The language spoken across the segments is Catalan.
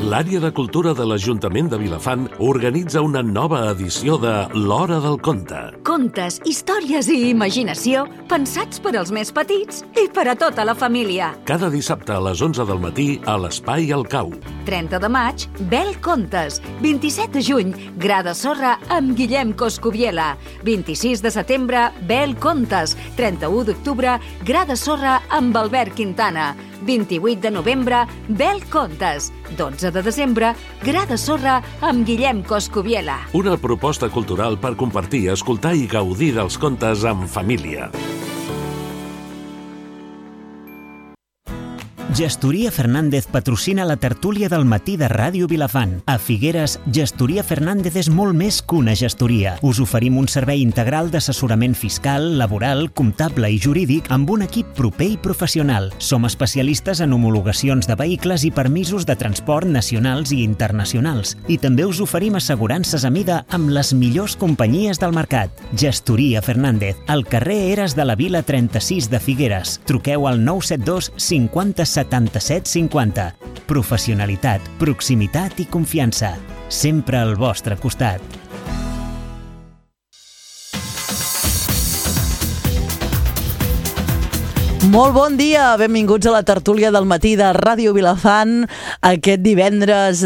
L'àrea de cultura de l'Ajuntament de Vilafant organitza una nova edició de l'Hora del Conte. Contes, històries i imaginació pensats per als més petits i per a tota la família. Cada dissabte a les 11 del matí a l'Espai El Cau. 30 de maig, Bel Contes. 27 de juny, Gra de Sorra amb Guillem Coscubiela. 26 de setembre, Bel Contes. 31 d'octubre, Gra de Sorra amb Albert Quintana. 28 de novembre, Bel Contes. 12 de desembre, Gra de Sorra amb Guillem Coscubiela. Una proposta cultural per compartir, escoltar i gaudir dels contes en família. Gestoria Fernández patrocina la tertúlia del matí de Ràdio Vilafant. A Figueres, Gestoria Fernández és molt més que una gestoria. Us oferim un servei integral d'assessorament fiscal, laboral, comptable i jurídic amb un equip proper i professional. Som especialistes en homologacions de vehicles i permisos de transport nacionals i internacionals. I també us oferim assegurances a mida amb les millors companyies del mercat. Gestoria Fernández, al carrer Eres de la Vila 36 de Figueres. Truqueu al 972 50 77 50. Professionalitat, proximitat i confiança. Sempre al vostre costat. Molt bon dia, benvinguts a la tertúlia del matí de Ràdio Vilafant aquest divendres,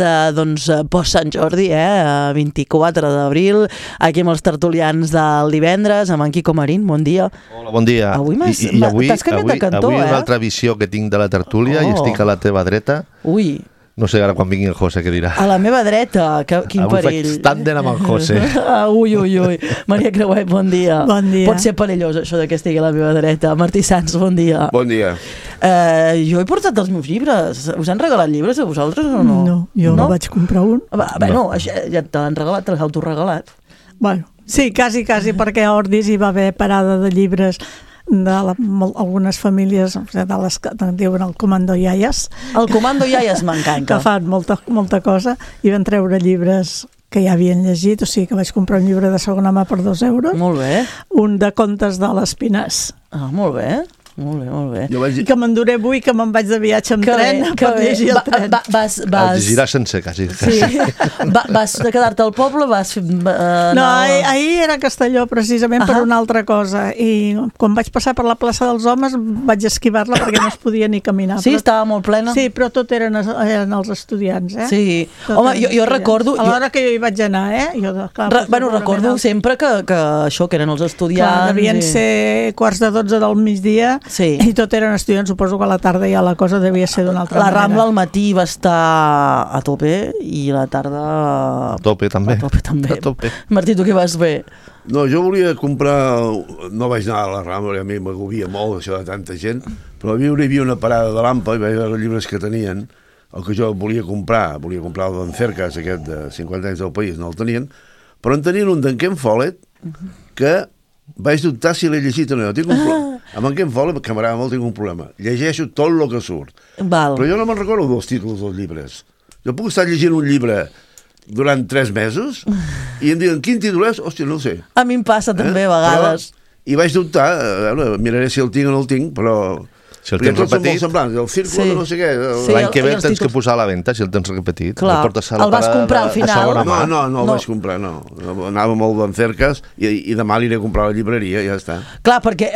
post Sant Jordi, 24 d'abril, aquí amb els tertulians del divendres, amb en Quico Marín, bon dia. Hola, bon dia. Avui t'has canviat de cantó, Avui una altra visió que tinc de la tertúlia i estic a la teva dreta. Ui. No sé ara quan vingui el José què dirà. A la meva dreta, quin perill. Avui faig tàndem amb el José. Ui. Maria Creuet, bon dia. Bon dia. Pot ser perillós això de que estigui a la meva dreta. Martí Sans, bon dia. Bon dia. Jo he portat els meus llibres. Us han regalat llibres a vosaltres o no? No, jo no vaig comprar un. Bueno, ja te l'han regalat, te l'has autoregalat. Bueno, sí, quasi, perquè a Ordis hi va haver parada de llibres algunes famílies de les que diuen el Comando Iaies. El Comando Iaies m'encanta. Que fan molta cosa i van treure llibres que ja havien llegit, o sigui que vaig comprar un llibre de segona mà per 2 euros. Molt bé. Un de contes de l'Espinàs. Ah, molt bé. Molt bé. I que m'enduré avui, que me'n vaig de viatge amb tren per llegir el tren. El llegiràs sense, quasi. Sí. Vas quedar-te al poble? No, ahir era a Castelló precisament per una altra cosa, i quan vaig passar per la plaça dels Homes vaig esquivar-la perquè no es podia ni caminar. Sí, estava molt plena? Sí, però tot eren els estudiants, Sí. Home, jo recordo... A l'hora que jo hi vaig anar, recordo sempre que això, que eren els estudiants... Devien ser 11:45 del migdia. Sí. I tot eren estudiants, suposo que a la tarda ja la cosa devia ser d'una altra manera. La Rambla al matí va estar a tope i la tarda... A tope també. A tope. Martí, tu què vas fer? No, jo volia comprar... No vaig anar a la Rambla, a mi m'agobia molt això de tanta gent, però hi havia una parada de l'AMPA i vaig veure els llibres que tenien, el que jo volia comprar el d'en Cercas, aquest de 50 anys del país, no el tenien, però en tenien un d'en Ken Follett que vaig dubtar si l'he llegit o no. Tinc un problema. Amb en Ken Follett, que m'agrada molt, tinc un problema. Llegeixo tot el que surt. Val. Però jo no me'n recordo dels títols dels llibres. Jo puc estar llegint un llibre durant 3 mesos i em diuen quin títol és? Hòstia, no ho sé. A mi em passa també a vegades. I vaig dubtar, miraré si el tinc o no el tinc, però... Si el tens repetit... el círculo de no sé què... L'any que ve el tens que posar a la venda, si el tens repetit. Clar, el vas comprar al final? No el vaig comprar, no. Anava molt d'en Cercas i demà l'iré a comprar a la llibreria, ja està. Clar, perquè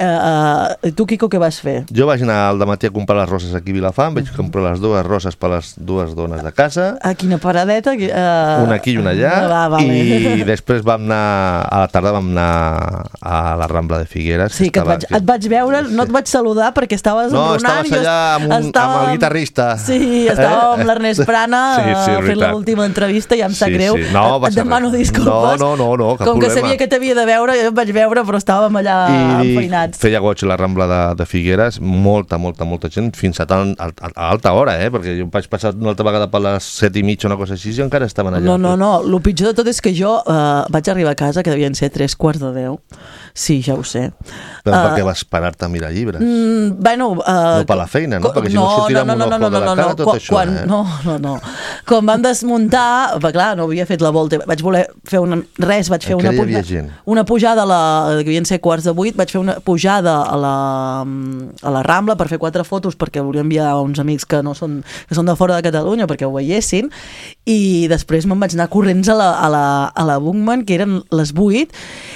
tu, Quico, què vas fer? Jo vaig anar al dematí a comprar les roses aquí a Vilafant, vaig comprar les 2 roses per les 2 dones de casa. A quina paradeta? Una aquí i una allà. I després vam anar, a la tarda vam anar a la Rambla de Figueres. Sí, que et vaig veure, no et vaig saludar perquè estaves... No, estaves allà amb el guitarrista. Sí, estàvem amb l'Ernest Prana fent l'última entrevista i em sap greu. Et demano disculpes. No, cap com problema. Que sabia que t'havia de veure, jo et vaig veure, però estàvem allà enfeinats. Feia goig la Rambla de Figueres, molta gent, fins a alta hora, perquè jo vaig passar una altra vegada per les 7:30, una cosa així, i encara estaven allà. No, el pitjor de tot és que jo vaig arribar a casa, que devien ser 9:45. Sí, ja ho sé. Però per què vas parar-te a mirar llibres? Bueno... No per la feina, no? Perquè si no sortirà amb un ojo de la cara tot això, No. Quan vam desmuntar, clar, no havia fet la volta, vaig voler fer una pujada que havien ser 7:45, vaig fer una pujada a la Rambla per fer 4 fotos perquè volia enviar a uns amics que són de fora de Catalunya perquè ho veiessin, i després me'n vaig anar corrents a la Bugman, que eren les 8,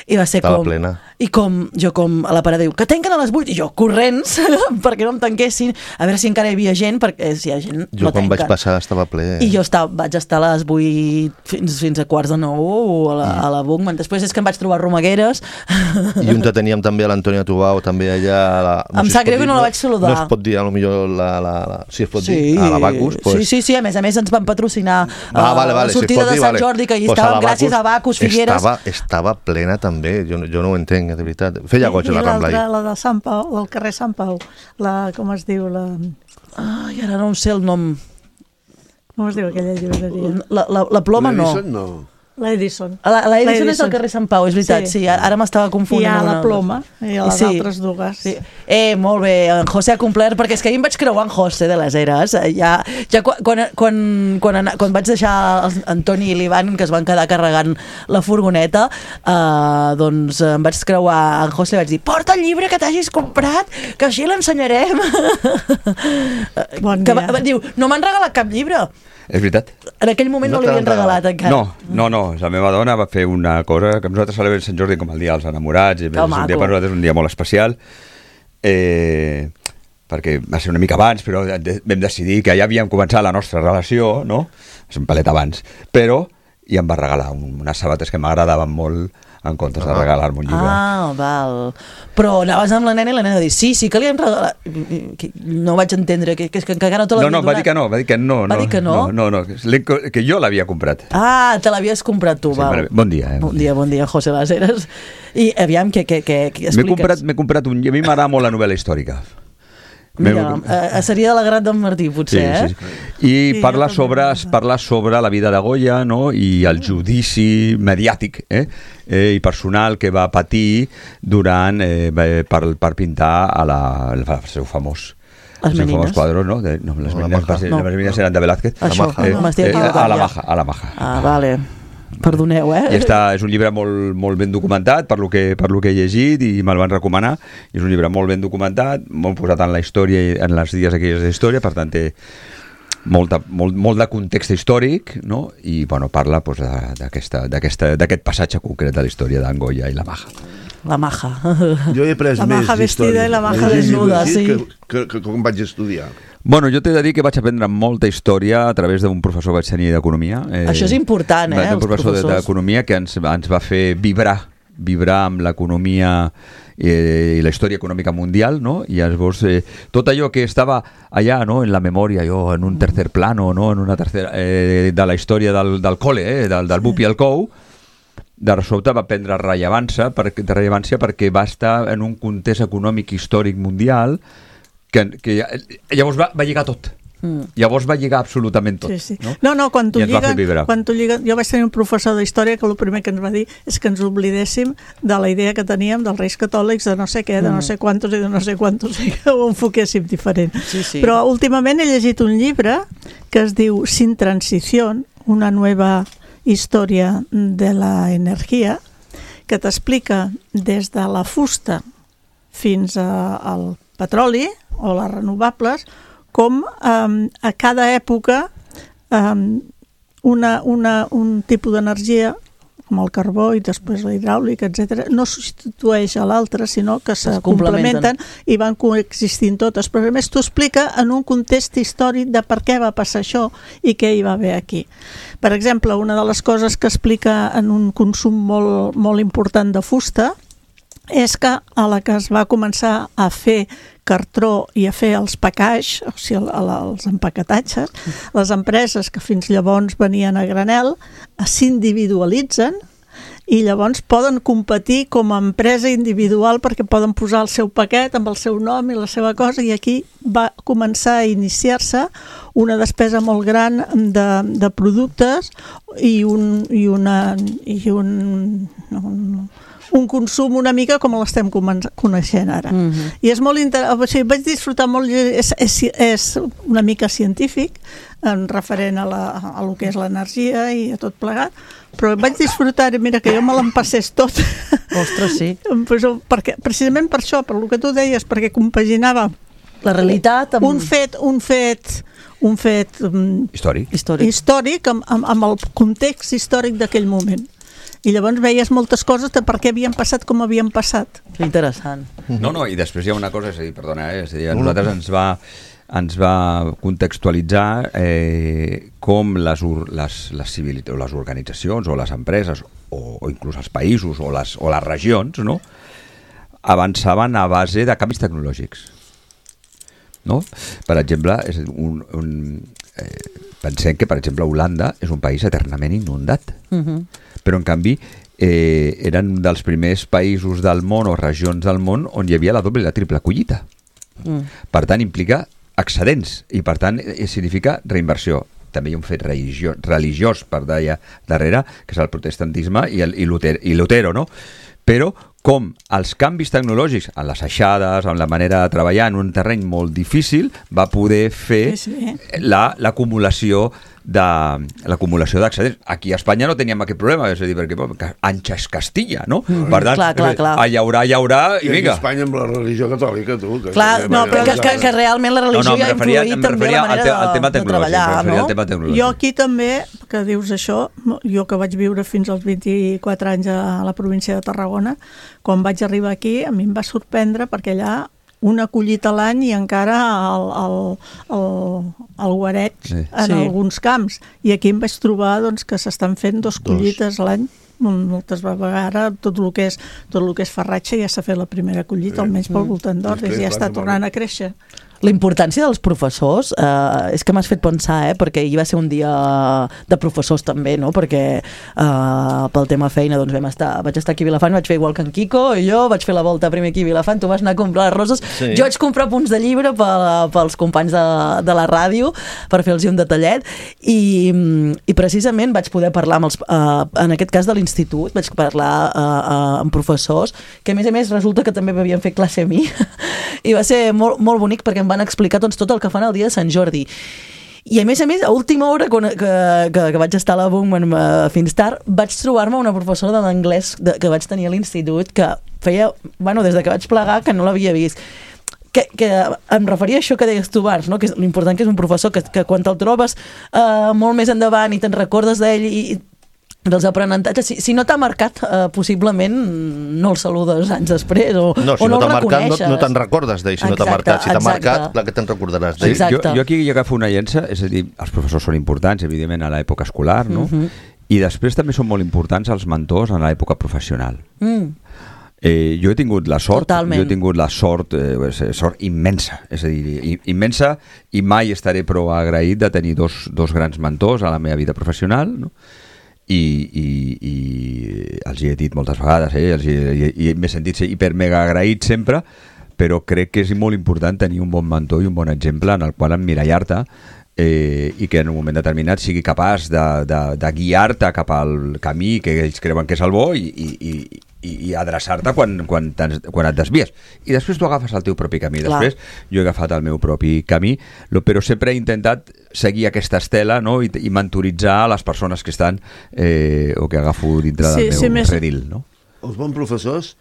i va ser estava plena. I jo a la parada diu, que tanquen a les 8, i jo corrents perquè no em tanquessin, a veure si encara hi havia gent, perquè si hi ha gent jo quan vaig passar estava ple. I jo vaig estar a les 8 fins a 8:45 a la Bugman. Després és que em vaig trobar romagueres. I on teníem també a l'Antònia Tubau, també allà... Em sap greu que no la vaig saludar. No es pot dir, potser si es pot dir, a la Bacus. Sí, a més ens van patrocinar la sortida de Sant Jordi, que hi estàvem gràcies a Bacus, Figueres. Estava plena també, jo no ho entenc, de veritat. Feia goig a la Rambla. I la de Sant Pau, del carrer Sant Pau, com es diu? Ai, ara no sé el nom. Com es diu aquella llibreria? La Ploma no. L'Edison. L'Edison és al carrer Sant Pau, és veritat, sí, ara m'estava confonent. I hi ha la Ploma, i les altres dues. Molt bé, en José ha complert, perquè és que ahir em vaig creuar en José de les Heres. Quan vaig deixar en Toni i l'Ivan, que es van quedar carregant la furgoneta, doncs em vaig creuar en José i vaig dir, porta el llibre que t'hagis comprat, que així l'ensenyarem. Bon dia. Diu, no m'han regalat cap llibre. És veritat. En aquell moment no li havien regalat encara. No. La meva dona va fer una cosa que nosaltres celebrem Sant Jordi com el dia dels enamorats, i és un dia per nosaltres un dia molt especial, perquè va ser una mica abans, però vam decidir que ja havíem començat la nostra relació, no? És un palet abans, però i em va regalar unes sabates que m'agradaven molt en comptes de regalar-me un llibre. Val. Però anaves amb la nena i la nena va dir, sí, que li hem regalat. No vaig entendre, que encara no te l'havia donat. Va dir que no. Va dir que no? No, que jo l'havia comprat. Te l'havies comprat tu, val. Bon dia. Bon dia, José Las Heres. I aviam, què expliques? M'he comprat un llibre, a mi m'agrada molt la novel·la històrica. Mira, seria de la Gran d'en Martí, potser, sí. I parla sobre la vida de Goya, no? I el judici mediàtic i personal que va patir durant per pintar el seu famós quadre, no? Les menines eren de Velázquez. A la Maja. Vale. Perdoneu, I és un llibre molt ben documentat per lo que he llegit i me'l van recomanar. És un llibre molt ben documentat, molt posat en la història, en les dies aquelles d'història, per tant té molt de context històric, no? I parla d'aquest passatge concret de la història d'en Goya i la Maja. La Maja. Jo he après la més Maja vestida i la Maja desnuda, sí. Que quan vaig estudiar. Jo t'he de dir que vaig aprendre molta història a través d'un professor que vaig tenir d'economia. Això és important, un professor d'economia que ens va fer vibrar amb l'economia i la història econòmica mundial, no? I llavors tot allò que estava allà, no? En la memòria, en un tercer plano, no? En una tercera de la història del col·le, del Bup i el Cou, de sobte va prendre rellevància perquè va estar en un context econòmic històric mundial que llavors va lligar tot. Llavors va lligar absolutament tot. Sí. No, quan tu lligues, jo vaig tenir un professor d'història que el primer que ens va dir és que ens oblidéssim de la idea que teníem dels Reis Catòlics, de no sé què, de no sé quantos i de no sé quantos, i que ho enfoquéssim diferent. Sí. Però últimament he llegit un llibre que es diu Sin Transición, una nueva història de la energia, que t'explica des de la fusta fins al petroli o les renovables, com a cada època un tipus d'energia, com el carbó i després la hidràulica, etc., no substitueix a l'altre, sinó que se complementen i van coexistint totes. Però a més t'ho explica en un context històric de per què va passar això i què hi va haver aquí. Per exemple, una de les coses que explica en un consum molt important de fusta és que a la que es va començar a fer cartró i a fer els package, o sigui, els empaquetatges, les empreses que fins llavors venien a granel s'individualitzen i llavors poden competir com a empresa individual perquè poden posar el seu paquet amb el seu nom i la seva cosa, i aquí va començar a iniciar-se una despesa molt gran de productes i un consum una mica com l'estem coneixent ara. I és molt interessant, o sigui, vaig disfrutar molt, és una mica científic, en referent a lo que és l'energia i a tot plegat, però vaig disfrutar, mira, que jo me l'empassés tot. Ostres, sí. Perquè, precisament per això, per lo que tu deies, perquè compaginava la realitat amb... un fet històric amb el context històric d'aquell moment. I llavors veies moltes coses de per què havien passat com havien passat. Que interessant. No, i després hi ha una cosa, és a dir, perdona, és a dir, a nosaltres ens va contextualitzar com les organitzacions o les empreses o inclús els països o les regions, no, avançaven a base de canvis tecnològics. No? Per exemple, pensem que, per exemple, Holanda és un país eternament inundat, però en canvi eren dels primers països del món o regions del món on hi havia la doble i la triple collita. Per tant, implica excedents i, per tant, significa reinversió. També hi ha un fet religiós per darrere, que és el protestantisme i Lutero, no? Però com els canvis tecnològics en les aixades, en la manera de treballar en un terreny molt difícil, va poder fer l'acumulació d'excedents. Aquí a Espanya no teníem aquest problema, és a dir, perquè ancha és Castilla, no? Per tant, hi haurà, i vinga. I a Espanya amb la religió catòlica, tu. Clar, no, però que realment la religió ha influït també la manera de treballar, no? Jo aquí també, que dius això, jo que vaig viure fins als 24 anys a la província de Tarragona, quan vaig arribar aquí, a mi em va sorprendre perquè allà una collita a l'any i encara el guareig en alguns camps. I aquí em vaig trobar que s'estan fent 2 collites a l'any. Moltes vegades tot el que és farratge ja s'ha fet la primera collita, almenys pel voltant d'Ordis, i ja està tornant a créixer. La importància dels professors és que m'has fet pensar, perquè hi va ser un dia de professors també, no? Perquè pel tema feina doncs vaig estar aquí a Vilafant, vaig fer igual que en Quico, i jo vaig fer la volta primer aquí a Vilafant, tu vas anar a comprar les roses, jo vaig comprar punts de llibre pels companys de la ràdio per fer-los un detallet, i precisament vaig poder parlar en aquest cas de l'institut, vaig parlar amb professors que a més resulta que també m'havien fet classe a mi i va ser molt, molt bonic perquè em van explicar tot el que fan el dia de Sant Jordi. I a més, a última hora, que vaig estar a la Bungman fins tard, vaig trobar-me una professora de l'anglès que vaig tenir a l'institut que feia, des de que vaig plegar, que no l'havia vist. Que em referia a això que deies tu abans, no? Que és l'important que és un professor que quan te'l trobes molt més endavant i te'n recordes d'ell i dels aprenentatges, si no t'ha marcat possiblement no el saludes anys després o no el reconeixes. No te'n recordes d'ell si no t'ha marcat. Si t'ha marcat, clar que te'n recordaràs d'ell. Jo aquí agafo una llença, és a dir, els professors són importants, evidentment, a l'època escolar, no? I després també són molt importants els mentors en l'època professional. Jo he tingut la sort, sort immensa, és a dir, immensa, i mai estaré prou agraït de tenir dos grans mentors a la meva vida professional, no? I els hi he dit moltes vegades, i m'he sentit hiper mega agraït sempre, però crec que és molt important tenir un bon mentor i un bon exemple en el qual emmirallar-te i que en un moment determinat sigui capaç de guiar-te cap al camí que ells creuen que és el bo i adreçar-te quan et desvies. I després tu agafes el teu propi camí. Després jo he agafat el meu propi camí, però sempre he intentat seguir aquesta estela, no? I mentoritzar les persones que estan o que agafo dintre del meu redil. No? Els bons professors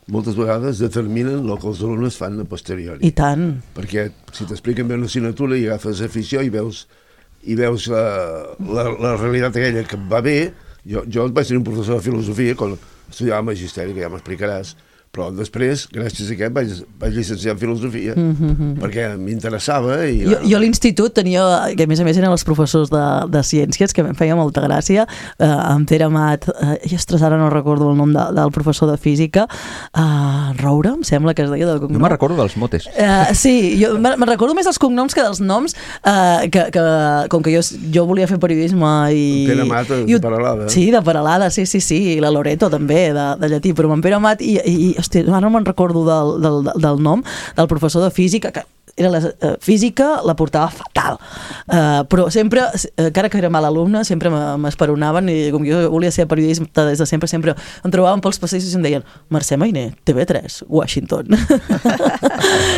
moltes vegades determinen el que els alumnes fan a posteriori. I tant. Perquè si t'expliquen bé una assignatura i agafes afició i veus la realitat aquella que et va bé. Jo vaig tenir un professor de filosofia quan estudiava magisteri, que ja m'explicaràs, però després, gràcies a aquest, vaig llicenciar en filosofia, perquè m'interessava. Jo a l'institut tenia, que a més eren els professors de ciències, que em feia molta gràcia, en Pere Amat, i ara no recordo el nom del professor de física, Roura, em sembla que es deia del cognom. No me'n recordo dels motes. Sí, me'n recordo més dels cognoms que dels noms, com que jo volia fer periodisme i... Pere Amat, de Peralada. Sí, de Peralada, sí, i la Loreto també, de llatí, però amb en Pere Amat i hòstia, ara no me'n recordo del nom del professor de física, que era la física, la portava fatal. Però sempre, encara que era mal alumne, sempre m'esperonaven i com jo volia ser periodista des de sempre em trobaven pels passeig i em deien Mercè Mainer, TV3, Washington.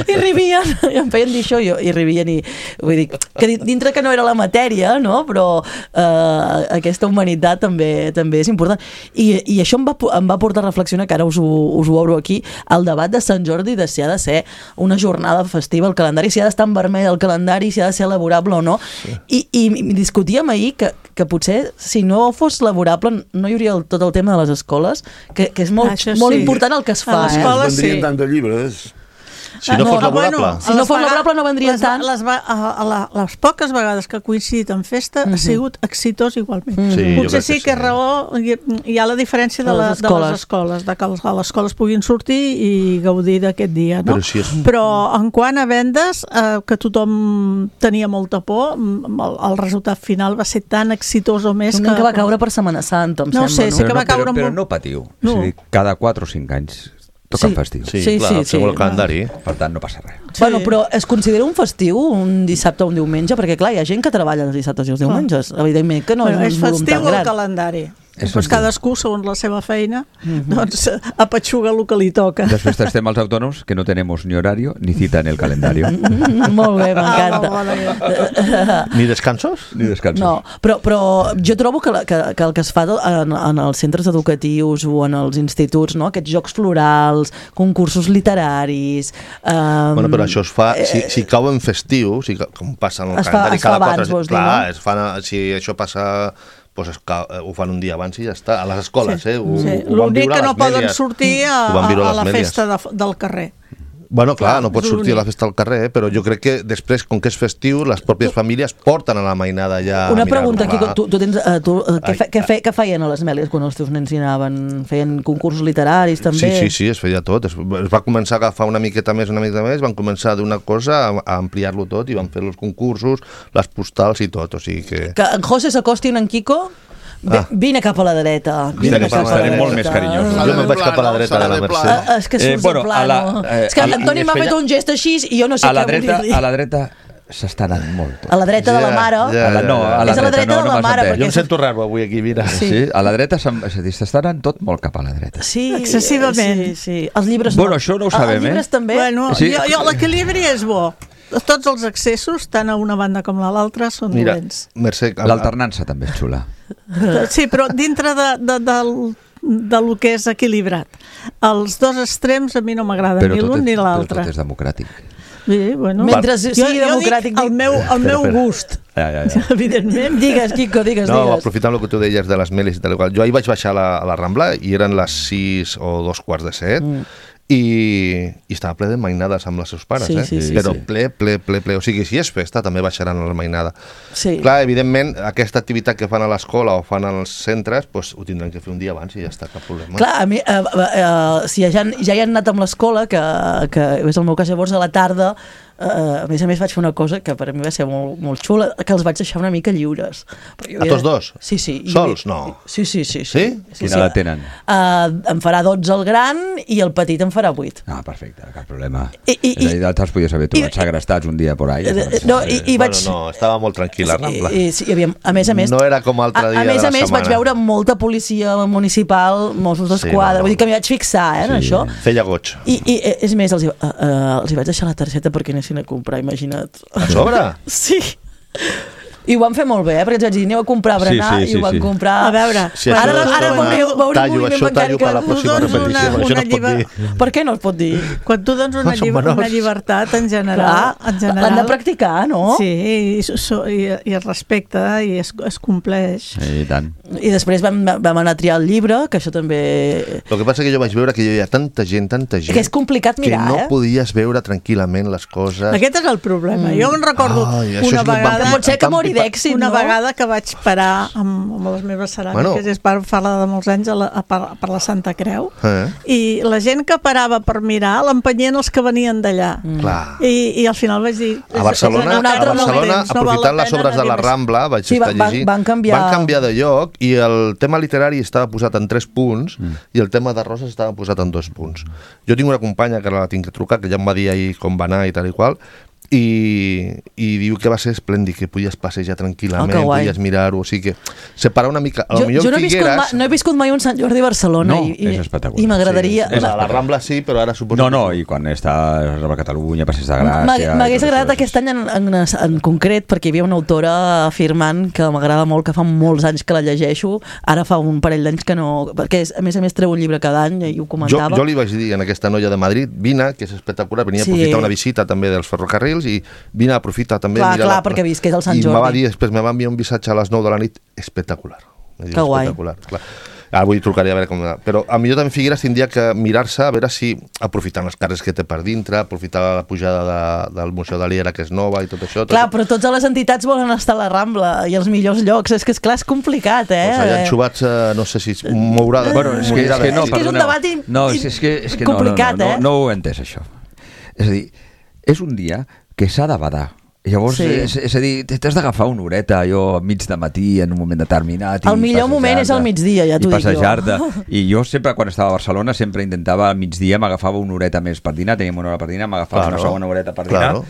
I rivien, i em feien dir això i rivien i vull dir, que dintre que no era la matèria, no? Però aquesta humanitat també és important. I això em va portar a reflexionar, que ara us ho obro aquí, el debat de Sant Jordi de si ha de ser una jornada festiva al calendari, si ha d'estar en vermell el calendari, si ha de ser laborable o no. Sí. I discutíem ahir que potser si no fos laborable no hi hauria tot el tema de les escoles, que és molt important el que es fa. A l'escola vendrien tant de llibres. Si no fos laborable. Si no fos laborable no vendrien tant. Les poques vegades que ha coincidit en festa ha sigut exitós igualment. Potser sí que raó hi ha la diferència de les escoles, de que les escoles puguin sortir i gaudir d'aquest dia, no? Però en quant a vendes, que tothom tenia molta por, el resultat final va ser tan exitós o més que va caure per Setmana Santa, em sembla. No sé, sí que va caure molt. Però no patiu. Cada 4 o 5 anys toquen festiu. Sí, clar, segons el calendari. Per tant, no passa res. Bueno, però es considera un festiu un dissabte o un diumenge? Perquè, clar, hi ha gent que treballa els dissabtes i els diumenges. Evidentment que no és un volum tan gran. És festiu el calendari. Doncs cadascú, segons la seva feina, doncs apatxuga el que li toca. Després estem els autònoms que no tenemos ni horario ni cita en el calendario. Molt bé, m'encanta. Ni descansos? Ni descansos. No, però jo trobo que el que es fa en els centres educatius o en els instituts, no? Aquests jocs florals, concursos literaris... Bueno, però això es fa, si cau en festiu, com passa en el calendari, cada 4... Clar, si això passa... Pues ho fan un dia abans i ja està, a les escoles, L'únic que no poden sortir a la festa del carrer. Bueno, clar, no pots sortir a la festa al carrer, però jo crec que després, com que és festiu, les pròpies famílies porten a la mainada ja... Una pregunta, Quico, què feien a les Mèlies quan els teus nens hi anaven? Feien concursos literaris, també? Sí, es feia tot. Es va començar a agafar una miqueta més, van començar d'una cosa a ampliar-lo tot i van fer els concursos, les postals i tot, o sigui que... Que en José s'acosti en Quico... Vine cap a la dreta. Estarem molt més carinyosos. Jo me'n vaig cap a la dreta de la Mercè. És que surts de plano. És que l'Antoni m'ha fet un gest així i jo no sé què vull dir-li. A la dreta s'està anant molt. A la dreta de la mare. No, a la dreta de la mare. Jo em sento raro avui aquí, mira. Sí, a la dreta s'està anant tot molt cap a la dreta. Sí, excessivament. Sí. Els llibres no. Bueno, això no ho sabem, Els llibres també. Bueno, l'equilibri és bo. Tots els excessos, tant a una banda com a l'altra, són dolents. L'alternança també és xula. Sí, però dintre del que és equilibrat. Els dos extrems a mi no m'agraden ni l'un ni l'altre. Però tot és democràtic. Sí, bueno. Mentre sigui democràtic... El meu gust. Ja. Evidentment. Digues, Quico, digues. No, aprofitant el que tu deies de les Mèlies i tal, jo ahir vaig baixar a la Rambla i eren les 6 o 2:45 i estava ple de mainades amb els seus pares, però ple. O sigui, si és festa, també baixaran a la mainada. Sí. Clar, evidentment, aquesta activitat que fan a l'escola o fan als centres, doncs ho tindran que fer un dia abans i ja està, cap problema. Clar, a mi, si ja hi han anat amb l'escola, que és el meu cas, llavors a la tarda, a més vaig fer una cosa que per a mi va ser molt, molt xula, que els vaig deixar una mica lliures. A tots dos? Sí. Sols? No. Sí. Quina edat tenen? Em farà 12 el gran i el petit em farà 8. Ah, perfecte, cap problema. Te'ls podies haver trobat segrestats un dia por ahí. No, estava molt tranquil la Rambla. A més, no era com altre dia de la setmana. A més, vaig veure molta policia municipal, Mossos d'Esquadra, vull dir que m'hi vaig fixar, en això. Feia goig. I és més, els hi vaig deixar la targeta perquè anessin a comprar, imagina't. A sobre? Sí. I ho van fer molt bé, perquè ens vaig dir, aneu a comprar berenar, i ho van comprar... A veure, ara veureu un moviment bancari que... Per què no es pot dir? Quan tu dones una llibertat, en general... L'han de practicar, no? Sí, i es respecta i es compleix. I tant. I després vam anar a triar el llibre, que això també... El que passa que jo vaig veure que hi havia tanta gent, que és complicat mirar, que no podies veure tranquil·lament les coses. Aquest és el problema. Jo em recordo una vegada... Pot ser que mori d'èxit, una vegada que vaig parar amb les meves ceràmiques, és per parlar de molts anys per la Santa Creu, i la gent que parava per mirar l'empenyien els que venien d'allà. I al final vaig dir... A Barcelona, aprofitant les obres de la Rambla, vaig estar llegint, van canviar de lloc i el tema literari estava posat en 3 punts i el tema de roses estava posat en 2 punts. Jo tinc una companya que la tinc que trucar, que ja em va dir ahir com va anar i tal i qual, i diu que va ser esplèndid, que podies passejar tranquil·lament, podies mirar-ho, o sigui que separar una mica... Jo no he viscut mai un Sant Jordi a Barcelona és espectacular. I m'agradaria... A la Rambla sí, però ara suposo... No, i quan està a Catalunya, Passeig de Gràcia... M'hagués agradat aquest any en concret, perquè hi havia una autora afirmant que m'agrada molt, que fa molts anys que la llegeixo, ara fa un parell d'anys que no... Perquè a més treu un llibre cada any i ho comentava. Jo li vaig dir a aquesta noia de Madrid, vine, que és espectacular, venia a aprofitar una visita també dels ferrocarrils i vine a aprofitar també... Clar, perquè visqués el Sant Jordi. I me va dir, després me va enviar un missatge a les 9 de la nit, espectacular. Que guai. Clar. Avui trucaré a veure com... Però a millor també Figueres tindria que mirar-se a veure si, aprofitant les carrers que té per dintre, aprofitar la pujada del Museu de l'Era, que és nova i tot això... Clar, però totes les entitats volen estar a la Rambla i els millors llocs. És que, esclar, és complicat, eh? Doncs allà enxubats, no sé si mourada... Bueno, és que no, és un debat complicat, eh? No ho he entès, això. És a dir, és un dia que s'ha de badar. Llavors, és a dir, t'has d'agafar una horeta allò mig de matí en un moment determinat. El millor moment és al migdia, ja t'ho dic jo. I passejar-te. I jo sempre, quan estava a Barcelona, sempre intentava al migdia, m'agafava una horeta més per dinar, teníem una hora per dinar, m'agafava una segona horeta per dinar.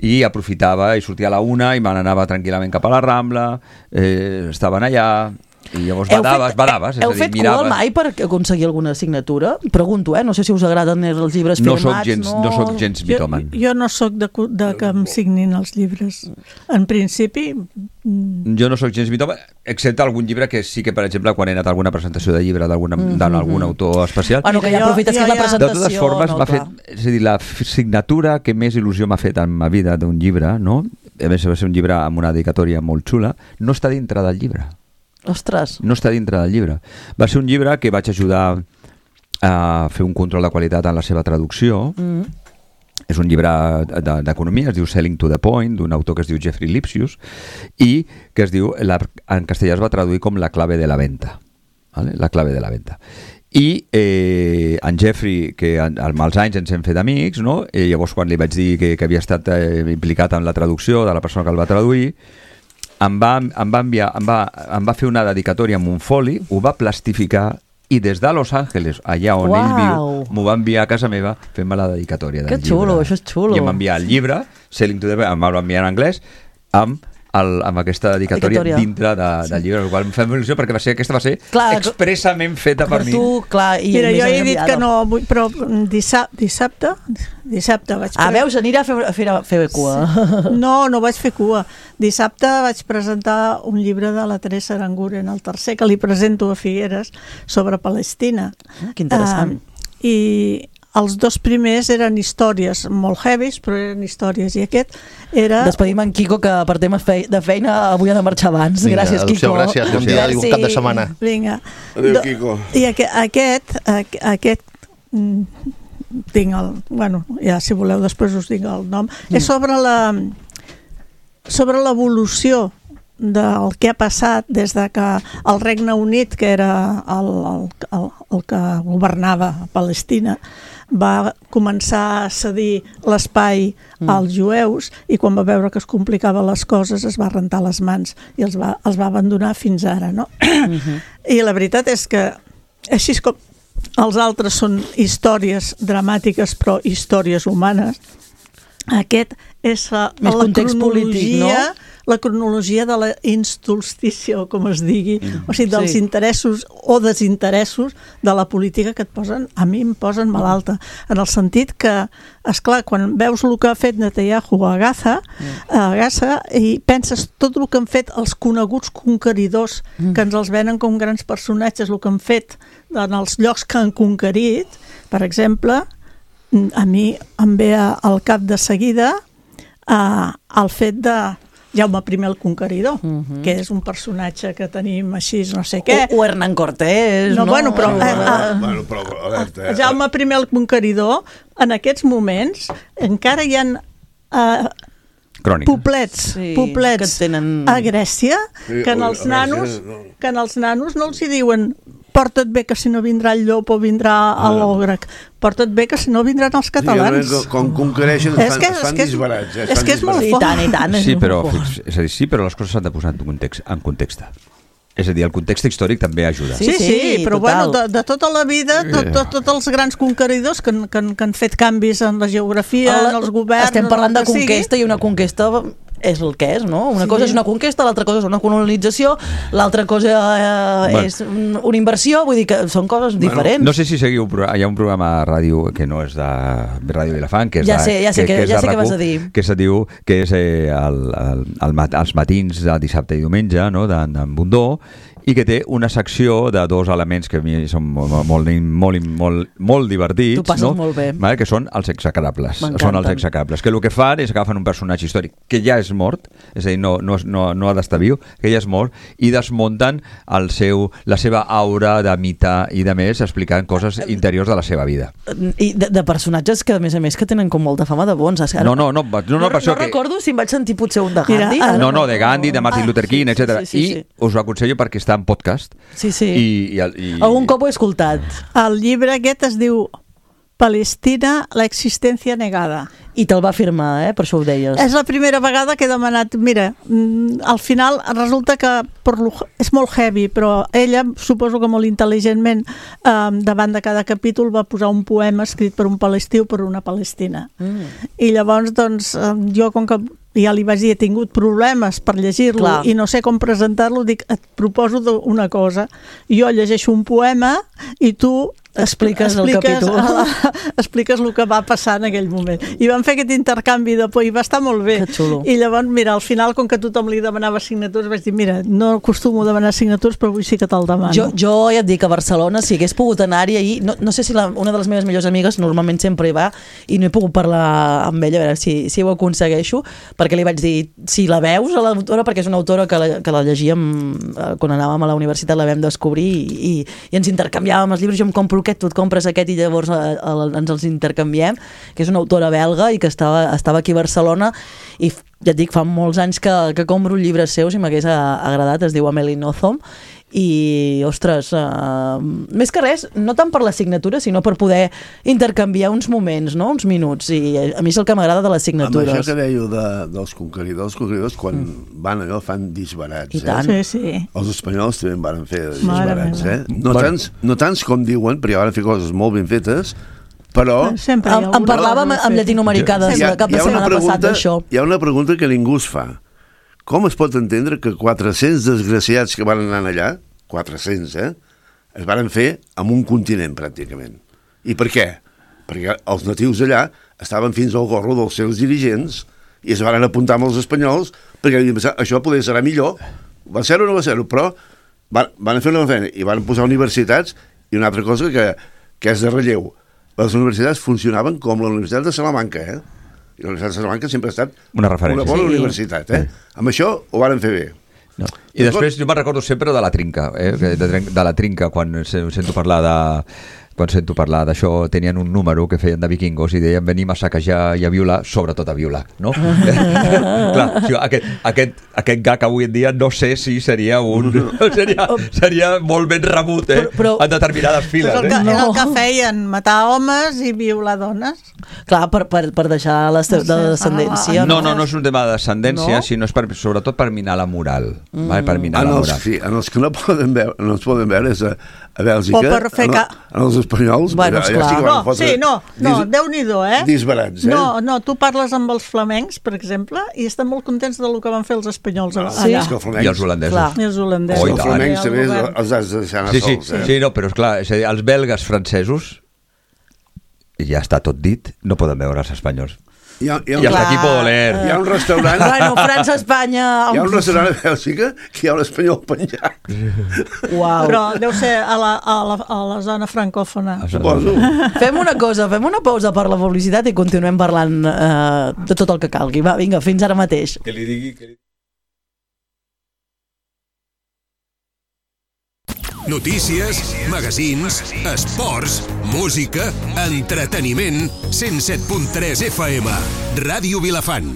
I aprofitava, i sortia a la 1 i me n'anava tranquil·lament cap a la Rambla, estaven allà... I llavors badaves. Heu fet cua mai per aconseguir alguna assignatura? Pregunto, no sé si us agraden els llibres firmats. No soc gens mitòman. Jo no soc de que em signin els llibres. En principi... Jo no soc gens mitòman, excepte algun llibre que sí que, per exemple, quan he anat a alguna presentació de llibre d'algun autor especial... Bueno, que ja aprofites que és la presentació... De totes formes, m'ha fet... És a dir, la signatura que més il·lusió m'ha fet en ma vida d'un llibre, no? A més, va ser un llibre amb una dedicatòria molt xula, no està dintre del llibre. Ostres. No està dintre del llibre. Va ser un llibre que vaig ajudar a fer un control de qualitat en la seva traducció. És un llibre d'economia, es diu Selling to the Point, d'un autor que es diu Jeffrey Lipsius, i que es diu, en castellà es va traduir com La clave de la venta. ¿Vale? La clave de la venta. I en Jeffrey, que amb els anys ens hem fet amics, no? Llavors quan li vaig dir que havia estat implicat en la traducció de la persona que el va traduir, em va fer una dedicatòria amb un foli, ho va plastificar i des de Los Angeles, allà on ell viu, m'ho va enviar a casa meva fent-me la dedicatòria del llibre. Que xulo, això és xulo. I em va enviar el llibre, Selling to the Point, em va enviar en anglès, amb aquesta dedicatòria dintre del llibre, el qual em fa il·lusió perquè aquesta va ser expressament feta per mi. Mira, jo he dit que no vull, però dissabte vaig... Veus, anirà a fer cua. No vaig fer cua. Dissabte vaig presentar un llibre de la Teresa Aranguren, el tercer, que li presento a Figueres, sobre Palestina. Que interessant. I els dos primers eren històries molt heavies, però eren històries, i aquest era... Despedim en Quico, que per temes de feina avui ha de marxar abans. Vinga, gràcies, Quico. Gràcies, bon dia, un cap de setmana. Vinga. Adéu, Quico. I aquest tinc el... Bueno, ja si voleu després us dic el nom. És sobre l'evolució del que ha passat des de que el Regne Unit, que era el que governava Palestina, va començar a cedir l'espai als jueus, i quan va veure que es complicaven les coses es va rentar les mans i els va abandonar fins ara, no? I la veritat és que així com els altres són històries dramàtiques però històries humanes, aquest és més context polític, no? La cronologia de la instultícia, o com es digui, o sigui, dels interessos o desinteressos de la política que a mi em posen malalta, en el sentit que, esclar, quan veus el que ha fet Netanyahu a Gaza i penses tot el que han fet els coneguts conqueridors, que ens els venen com grans personatges, el que han fet en els llocs que han conquerit, per exemple, a mi em ve al cap de seguida el fet de Jaume I el Conqueridor, que és un personatge que tenim així, no sé què. O Hernán Cortés, no? Bueno, però Jaume I el Conqueridor, en aquests moments, encara hi ha poblets a Grècia que en els nanos no els hi diuen porta't bé que si no vindrà el llop o vindrà l'ogre, porta't bé que si no vindran els catalans. Com conquereixen es fan disbarats. És que és molt fort. I tant. Sí, però les coses s'han de posar en context. És a dir, el context històric també ajuda. Sí, però bueno, de tota la vida, tots els grans conqueridors que han fet canvis en la geografia, en els governs... Estem parlant de conquesta i una conquesta és el que és, no? Una cosa és una conquesta, l'altra cosa és una colonització, l'altra cosa és una inversió, vull dir que són coses diferents. No sé si seguiu, hi ha un programa a ràdio que no és de Ràdio Vilafant, que és ja sé què vas a dir. Que se diu que és els matins de dissabte i diumenge, no?, d'en Bundó, i que té una secció de dos elements que a mi són molt divertits. Tu passes molt bé. Que són els execrables. Són els execrables. Que el que fan és agafen un personatge històric que ja és mort, és a dir, no ha d'estar viu, que ja és mort, i desmunten la seva aura de mite i de més, explicant coses interiors de la seva vida. I de personatges que, a més, que tenen com molta fama de bons. No recordo si em vaig sentir potser un de Gandhi. No, de Gandhi, de Martin Luther King, etc. I us ho aconsello perquè està en podcast. Sí. I algun cop ho he escoltat. El llibre aquest es diu Palestina, la existència negada. I te'l va firmar, per això ho deies. És la primera vegada que he demanat, mira, al final resulta que és molt heavy, però ella, suposo que molt intel·ligentment, davant de cada capítol va posar un poema escrit per un palestí o per una palestina. I llavors, doncs, jo, com que ja li vaig dir, he tingut problemes per llegir-lo i no sé com presentar-lo, dic, et proposo una cosa. Jo llegeixo un poema i tu expliques el capítol. Expliques el que va passar en aquell moment. I vam fer aquest intercanvi de por i va estar molt bé. Que xulo. I llavors, mira, al final, com que tothom li demanava signatures, vaig dir, mira, no acostumo a demanar signatures, però avui sí que te'l demano. Jo ja et dic, a Barcelona, si hagués pogut anar-hi ahir, no sé si una de les meves millors amigues normalment sempre hi va i no he pogut parlar amb ella, a veure si ho aconsegueixo, perquè li vaig dir, si la veus a l'autora, perquè és una autora que la llegíem quan anàvem a la universitat, la vam descobrir i ens intercanviàvem els llibres, jo em compro aquest, tu et compres aquest i llavors ens els intercanviem, que és una autora belga i que estava aquí a Barcelona i ja et dic, fa molts anys que compro llibres seus i m'hagués agradat, es diu Amélie Nothomb i, ostres, més que res, no tant per la signatura, sinó per poder intercanviar uns moments, no? Uns minuts, i a mi és el que m'agrada de les signatures. Amb això que dèieu dels conqueridors, quan van allò fan disbarats. I tant. Sí. Els espanyols també en van fer disbarats. No tants com diuen, perquè ja van fer coses molt ben fetes, però... En parlàvem amb Llatinoamericà de cap de setmana passat d'això. Hi ha una pregunta que ningú es fa. Com es pot entendre que 400 desgraciats que van anar allà, 400, es van fer amb un continent, pràcticament. I per què? Perquè els natius allà estaven fins al gorro dels seus dirigents i es van apuntar amb els espanyols perquè havien pensat, això poder serà millor. Va ser-ho o no va ser-ho, però van fer una feina i van posar universitats i una altra cosa que és de relleu. Les universitats funcionaven com la Universitat de Salamanca, I la Universitat de Salamanca sempre ha estat una bona universitat, Amb això ho van fer bé. No. I després jo me'n recordo sempre de la trinca, de la trinca, quan sento parlar d'això, tenien un número que feien de vikingos i deien venim a saquejar i a violar, sobretot a violar, no? Clar, aquest gag avui en dia no sé si seria seria molt ben rebut, en determinades files. Era el que feien, matar homes i violar dones. Clar, per deixar la descendència. No és un tema de descendència, sinó és sobretot per minar la moral. Per minar la moral. En els que no es poden veure és a Bèlgica, en els espanyols, bueno, no, Déu-n'hi-do, disbarats, No, tu parles amb els flamencs, per exemple, i estan molt contents del que van fer els espanyols allà. I els holandesos. Els flamencs també els has de deixar anar sols. Sí, no, però és clar, els belgues francesos, ja està tot dit, no poden veure els espanyols. I hasta aquí puedo leer. Hi ha un restaurant... Bueno, França, Espanya... Hi ha un restaurant a Bèlgica que hi ha un espanyol penjat. Uau. Però deu ser a la zona francòfona. Suposo. Fem una pausa per la publicitat i continuem parlant de tot el que calgui. Va, vinga, fins ara mateix. Que li digui... Notícies, magazins, esports, música, entreteniment, 107.3 FM, Ràdio Vilafant.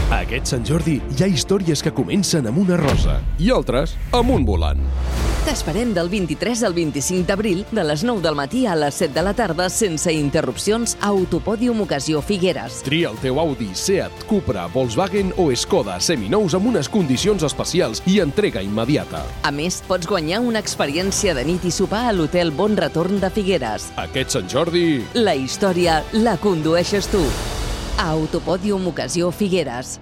Aquest Sant Jordi hi ha històries que comencen amb una rosa i altres amb un volant. T'esperem del 23 al 25 d'abril, de les 9 del matí a les 7 de la tarda, sense interrupcions, a Autopòdium Ocasió Figueres. Tria el teu Audi, Seat, Cupra, Volkswagen o Skoda seminous amb unes condicions especials i entrega immediata. A més, pots guanyar una experiència de nit i sopar a l'Hotel Bon Retorn de Figueres. Aquest Sant Jordi... La història la condueixes tu. A Autopòdium Ocasió Figueres.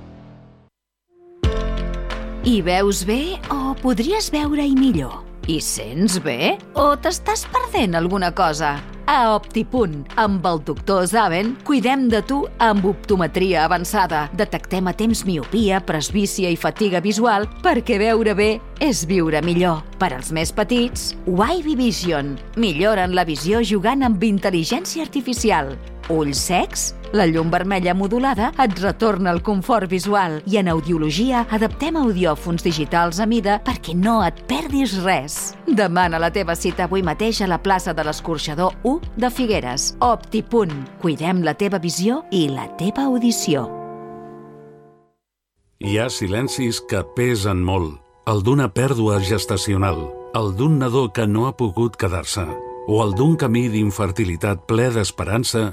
Hi veus bé o podries veure-hi millor? Hi sents bé o t'estàs perdent alguna cosa? A Optipunt, amb el doctor Zaven, cuidem de tu amb optometria avançada. Detectem a temps miopia, presbícia i fatiga visual perquè veure bé és viure millor. Per als més petits, Wavy Vision. Milloren la visió jugant amb intel·ligència artificial. Ulls secs? La llum vermella modulada et retorna el confort visual i en audiologia adaptem audiòfons digitals a mida perquè no et perdis res. Demana la teva cita avui mateix a la plaça de l'Escorxador 1 de Figueres. Optipunt. Cuidem la teva visió i la teva audició. Hi ha silencis que pesen molt. El d'una pèrdua gestacional, el d'un nadó que no ha pogut quedar-se, o el d'un camí d'infertilitat ple d'esperança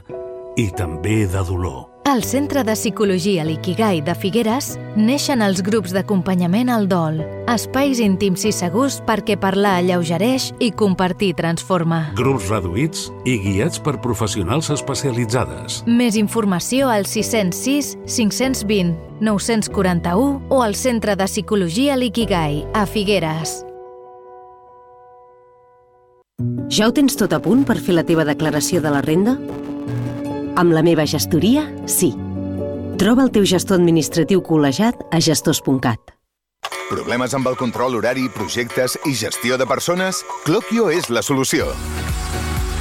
i també de dolor. Al Centre de Psicologia l'Ikigai de Figueres neixen els grups d'acompanyament al dol, espais íntims i segurs perquè parlar alleugereix i compartir transforma. Grups reduïts i guiats per professionals especialitzades. Més informació al 606 520 941 o al Centre de Psicologia l'Ikigai a Figueres. Ja ho tens tot a punt per fer la teva declaració de la renda? Amb la meva gestoria, sí. Troba el teu gestor administratiu col·legiat a gestors.cat. Problemes amb el control horari, projectes i gestió de persones? Cloquio és la solució.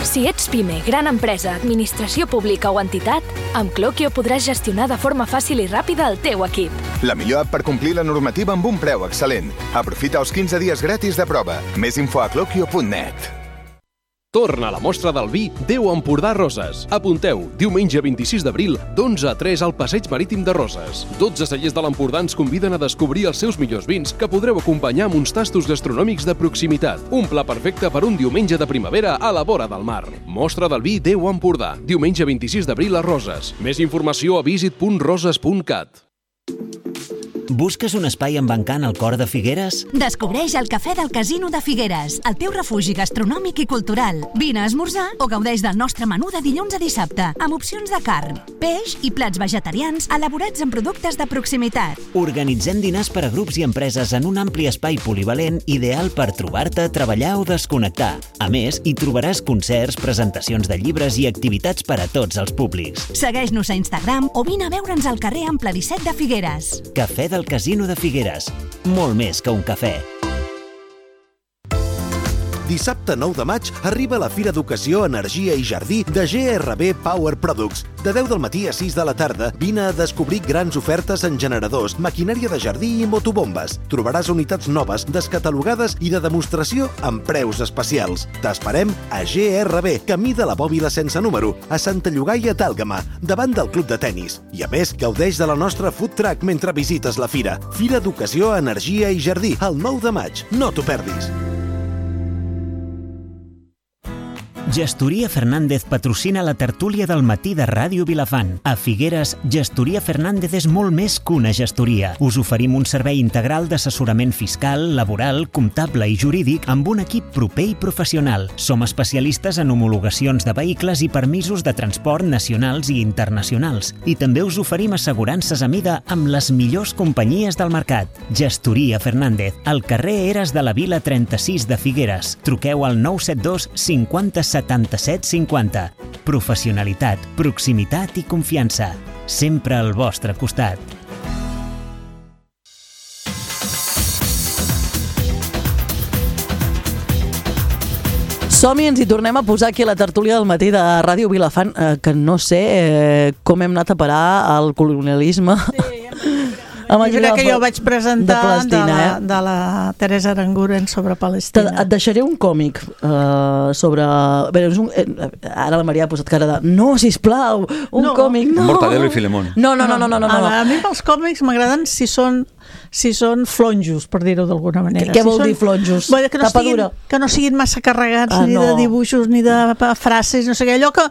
Si ets PIME, gran empresa, administració pública o entitat, amb Cloquio podràs gestionar de forma fàcil i ràpida el teu equip. La millor app per complir la normativa amb un preu excel·lent. Aprofita els 15 dies gratis de prova. Més info a cloquio.net. Torna a la mostra del vi Déu Empordà Roses. Apunteu, diumenge 26 d'abril, d'11 a 3 al Passeig Marítim de Roses. 12 cellers de l'Empordà ens conviden a descobrir els seus millors vins que podreu acompanyar amb uns tastos gastronòmics de proximitat. Un pla perfecte per un diumenge de primavera a la vora del mar. Mostra del vi Déu Empordà. Diumenge 26 d'abril a Roses. Més informació a visit.roses.cat. Busques un espai amb encant al cor de Figueres? Descobreix el Cafè del Casino de Figueres, el teu refugi gastronòmic i cultural. Vine a esmorzar o gaudeix del nostre menú de dilluns a dissabte, amb opcions de carn, peix i plats vegetarians elaborats amb productes de proximitat. Organitzem dinars per a grups i empreses en un ampli espai polivalent ideal per trobar-te, treballar o desconnectar. A més, hi trobaràs concerts, presentacions de llibres i activitats per a tots els públics. Segueix-nos a Instagram o vine a veure'ns al carrer Ample 17 de Figueres. Cafè del Casino de Figueres. Molt més que un cafè. Dissabte 9 de maig arriba la Fira d'Educació, Energia i Jardí de GRB Power Products. De 10 del matí a 6 de la tarda vine a descobrir grans ofertes en generadors, maquinària de jardí i motobombes. Trobaràs unitats noves, descatalogades i de demostració amb preus especials. T'esperem a GRB, camí de la Bòbila sense número, a Santa Llogaia d'Àlgama, davant del Club de Tenis. I a més, gaudeix de la nostra food truck mentre visites la fira. Fira d'Educació, Energia i Jardí, el 9 de maig. No t'ho perdis. Gestoria Fernández patrocina la tertúlia del matí de Ràdio Vilafant. A Figueres, Gestoria Fernández és molt més que una gestoria. Us oferim un servei integral d'assessorament fiscal, laboral, comptable i jurídic amb un equip proper i professional. Som especialistes en homologacions de vehicles i permisos de transport nacionals i internacionals. I també us oferim assegurances a mida amb les millors companyies del mercat. Gestoria Fernández, al carrer Eres de la Vila 36 de Figueres. Truqueu al 972 50 77 50. Professionalitat, proximitat i confiança. Sempre al vostre costat. Som-hi, ens hi tornem a posar aquí a la tertúlia del matí de Ràdio Vilafant, que no sé com hem anat a parar al colonialisme. El llibre que jo vaig presentar de la Teresa Aranguren sobre Palestina. Et deixaré un còmic sobre... Ara la Maria ha posat cara de no, sisplau, un còmic, no. Mortadelo i Filemón. No. A mi els còmics m'agraden si són flonjos, per dir-ho d'alguna manera. Què vol dir flonjos? Tapadura. Que no siguin massa carregats ni de dibuixos ni de frases, no sé què. Allò que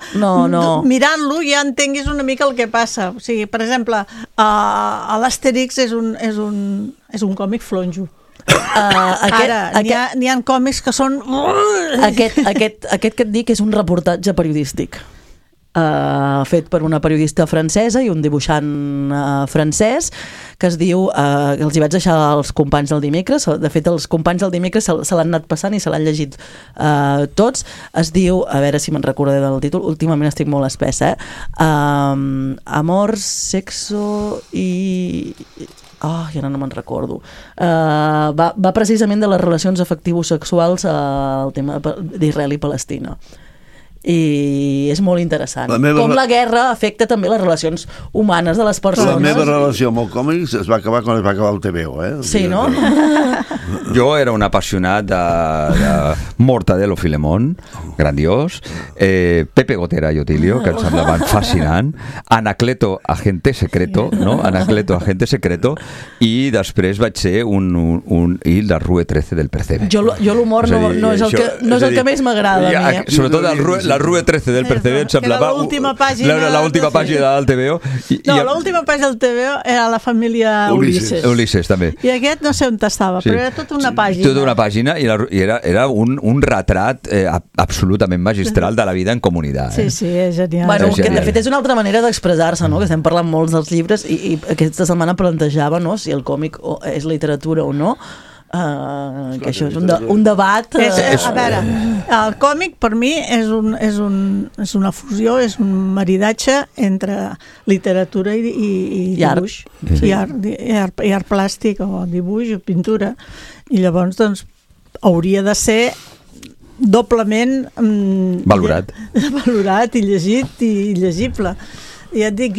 mirant-lo ja entenguis una mica el que passa. O sigui, per exemple, l'Astèrix és un còmic flonjo. Ara, n'hi ha còmics que són... Aquest que et dic és un reportatge periodístic. Fet per una periodista francesa i un dibuixant francès que es diu, els hi vaig deixar als companys del dimecres, de fet els companys del dimecres se l'han anat passant i se l'han llegit tots, es diu, a veure si me'n recordaré del títol, últimament estic molt espessa, Amor, Sexo i... ja no me'n recordo. Va precisament de les relacions afectivo-sexuals al tema d'Israel i Palestina. I és molt interessant. Com la guerra afecta també les relacions humanes de les persones. La meva relació amb el còmics es va acabar quan es va acabar el TVO, Sí, no? Jo era un apassionat de Mortadelo Filemón, grandiós, Pepe Gotera i Otilio, que em semblaven fascinant, Anacleto, agente secreto, no? Anacleto, agente secreto, i després vaig ser i la Rue 13 del Percebe. Jo l'humor no és el que més m'agrada a mi. Sobretot la Rue 13 del Percebe em semblava l'última pàgina del TVO. L'última pàgina del TVO era la família Ulisses també. I aquest no sé on estava, però era tota una pàgina. Tota una pàgina i era un retrat absolutament magistral de la vida en comunitat. Sí, és genial. Bueno, que de fet és una altra manera d'expressar-se, no? Que estem parlant molts dels llibres i aquesta setmana plantejava si el còmic és literatura o no. Que això és un debat. A veure, el còmic per mi és una fusió, és un maridatge entre literatura i dibuix i art plàstic o dibuix o pintura, i llavors doncs hauria de ser doblement valorat i llegit i llegible. I et dic,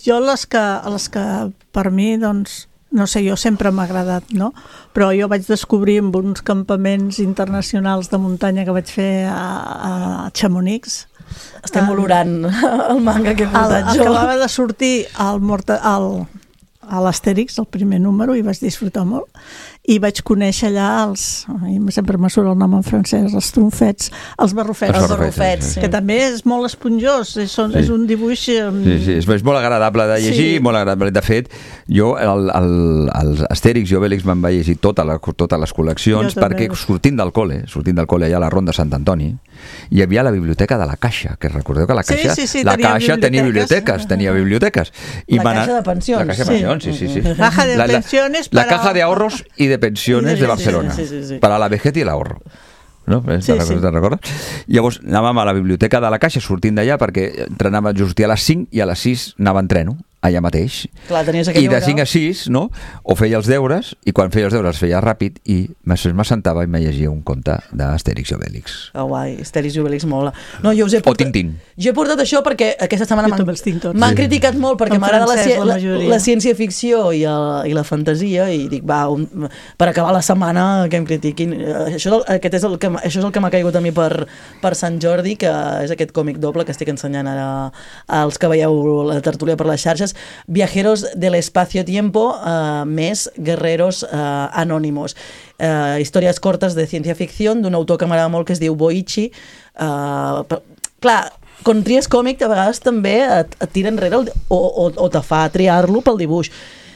jo les que per mi doncs no sé, jo sempre m'ha agradat, no? Però jo vaig descobrir en uns campaments internacionals de muntanya que vaig fer a Chamonix. Estem olorant el manga que he portat jo. Acabava de sortir a l'Astèrix, el primer número, i vaig disfrutar molt. I vaig conèixer allà sempre me surt el nom en francès, els tronfets, els barrufets, que també és molt esponjós, és un dibuix... Sí, és molt agradable de llegir, molt agradable. De fet, jo els Astèrix i Obélix me'n vaig llegir totes les col·leccions, perquè sortint del col·le allà a la Ronda Sant Antoni, hi havia la biblioteca de la Caixa, que recordeu que la Caixa tenia biblioteques. La Caixa de Pensions. La Caixa de Pensions, sí. La Caja de Ahorros y de Pensiones de Barcelona, para la vejez y el ahorro. No? Te'n recordes? Llavors anàvem a la biblioteca de la Caixa sortint d'allà perquè sortia a les 5 i a les 6 anava en treno allà mateix. Clar, i de 5 a 6, no? O feia els deures, i quan feia els deures els feia ràpid, i m'assentava i me llegia un conte d'Astèrix i Obélix. Guai, Astèrix i Obélix mola. No, o Tintín. Jo he portat això perquè aquesta setmana m'han criticat molt perquè m'agrada la ciència-ficció i la fantasia, i dic, per acabar la setmana que em critiquin. Això és el que m'ha caigut a mi per Sant Jordi, que és aquest còmic doble que estic ensenyant ara als que veieu la tertúlia per les xarxes, Viajeros del espacio-tiempo més Guerreros anónimos. Històries cortes de ciència-ficció d'un autor que m'agrada molt, que es diu Boichi. Clar, quan tries còmic a vegades també et tira enrere o te fa triar-lo pel dibuix.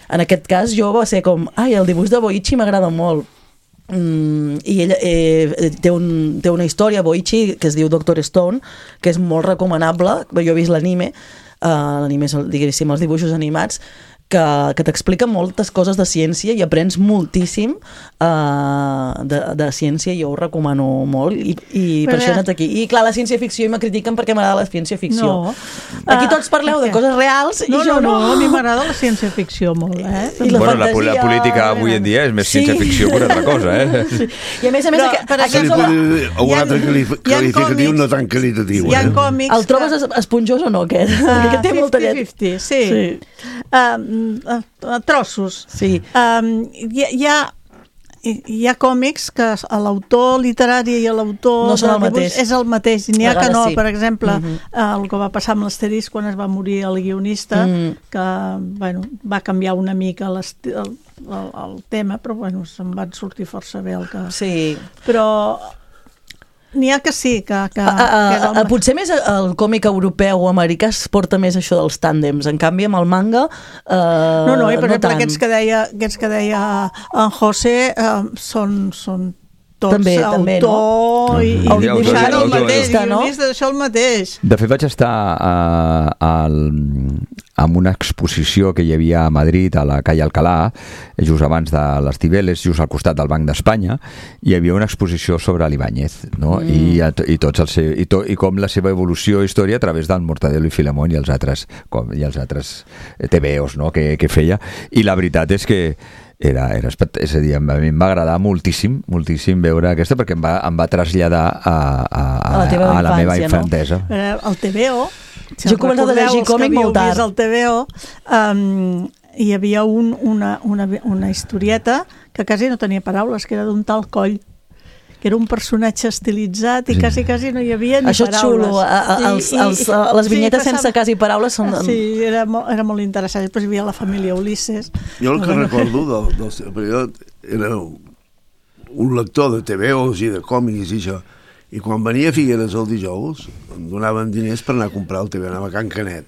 En aquest cas jo va ser com, el dibuix de Boichi m'agrada molt. I ell té una història, Boichi, que es diu Dr. Stone, que és molt recomanable. Jo he vist l'anime, diguéssim, els dibuixos animats, que t'explica moltes coses de ciència i aprens moltíssim de ciència, i jo ho recomano molt, i per això he anat aquí. I clar, la ciència-ficció, i me critiquen perquè m'agrada la ciència-ficció. No. Aquí tots parleu de coses reals i jo no. A mi m'agrada la ciència-ficció molt, la política avui en dia és més ciència-ficció que una altra cosa, Sí. I a més, se li pot dir un altre qualificatiu no tan qualitatiu. Hi ha còmics... El trobes esponjós o no, aquest? Perquè té molta llet. 50-50, sí. trossos. Sí. Hi ha còmics que l'autor literari i l'autor no són el mateix. És el mateix, i n'hi ha que no. Per exemple, el que va passar amb l'Asterix quan es va morir el guionista, que va canviar una mica el tema, però se'n van sortir força bé el que... Sí. Però n'hi ha que sí, que potser més el còmic europeu o americà es porta més això dels tàndems, en canvi amb el manga no, per exemple, aquests que deia en José són tots també, autor i dibuixant el mateix, guionista, això el mateix. De fet, vaig estar en una exposició que hi havia a Madrid, a la calle Alcalá, just abans de les Cibeles, just al costat del Banc d'Espanya, hi havia una exposició sobre l'Ibáñez, no? I com la seva evolució i història a través del Mortadelo i Filemón i els altres TVOs, no? que feia. I la veritat és que és a dir, a mi em va agradar moltíssim veure aquesta, perquè em va traslladar a la meva infantesa. El TVO, jo he començat a llegir còmic molt tard. El TVO hi havia una historieta que quasi no tenia paraules, que era d'un tal Coll, que era un personatge estilitzat i quasi no hi havia ni paraules. Això és xulo, les vinyetes sense quasi paraules són... Sí, era molt interessant. Després hi havia la família Ulisses. Jo el que recordo del seu període era un lector de TVOs i de còmics i això, i quan venia a Figueres el dijous em donaven diners per anar a comprar el TV, anava a Can Canet.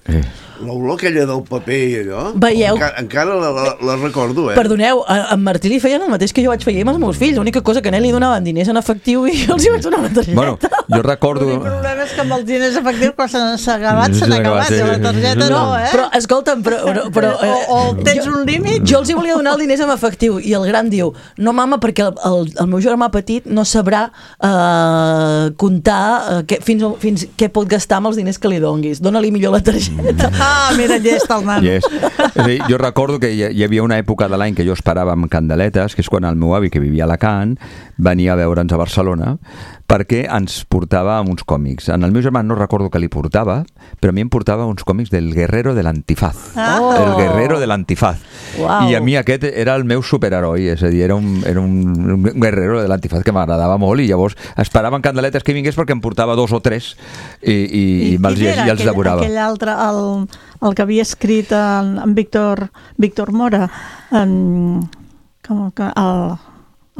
L'olor aquella del paper i allò, veieu? Encara la recordo, Perdoneu, en Martí li feien el mateix que jo vaig fer amb els meus fills, l'única cosa que a ell li donaven diners en efectiu i jo els hi vaig donar una targeta. Bueno, jo recordo... El problema és que amb els diners efectius quan s'han acabat, la targeta no, Però, escolta'm, però o tens un límit? Jo els hi volia donar els diners en efectiu i el gran diu, no mama, perquè el meu germà petit no sabrà comptar fins què pot gastar amb els diners que li donguis. Dóna-li millor la targeta. Mira, llest el nano. És a dir, jo recordo que hi havia una època de l'any que jo esperava amb candeletes, que és quan el meu avi, que vivia a Alacant, venia a veure'ns a Barcelona, perquè ens portava uns còmics. En el meu germà no recordo que li portava, però a mi em portava uns còmics del Guerrero de l'Antifaz. El Guerrero de l'Antifaz. I a mi aquest era el meu superheroi, és a dir, era un Guerrero de l'Antifaz que m'agradava molt, i llavors esperava en candeletes que vingués perquè em portava 2 o 3 i els devorava. Aquell altre, el que havia escrit en Víctor Mora, el